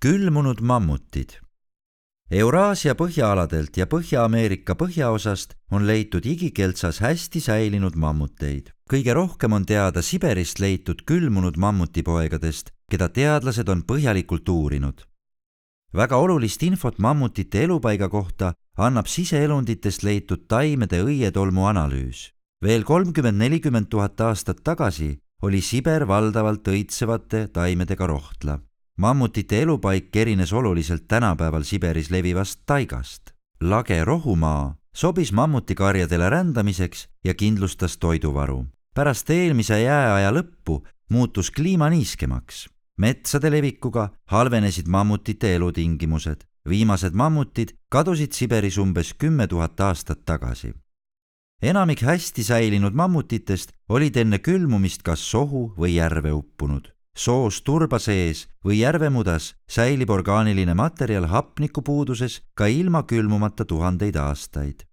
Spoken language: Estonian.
Külmunud mammutid. Euraasia põhjaaladelt ja Põhja-Ameerika põhjaosast on leitud igikeltsas hästi säilinud mammuteid. Kõige rohkem on teada Siberist leitud külmunud mammutipoegadest, keda teadlased on põhjalikult uurinud. Väga olulist infot mammutite elupaiga kohta annab siseelunditest leitud taimede õietolmu analüüs. Veel 30–40 000 aastat tagasi oli Siber valdavalt õitsevate taimedega rohtla. Mammutite elupaik erines oluliselt tänapäeval Siberis levivast taigast. Lage rohumaa sobis mammutikarjadele rändamiseks ja kindlustas toiduvaru. Pärast eelmise jääaja lõppu muutus kliima niiskemaks. Metsade levikuga halvenesid mammutite elutingimused. Viimased mammutid kadusid Siberis umbes 10 000 aastat tagasi. Enamik hästi säilinud mammutitest olid enne külmumist kas sohu või järve uppunud. Soos turba sees või järvemudas säilib orgaaniline materjal hapnikupuuduses ka ilma külmumata tuhandeid aastaid.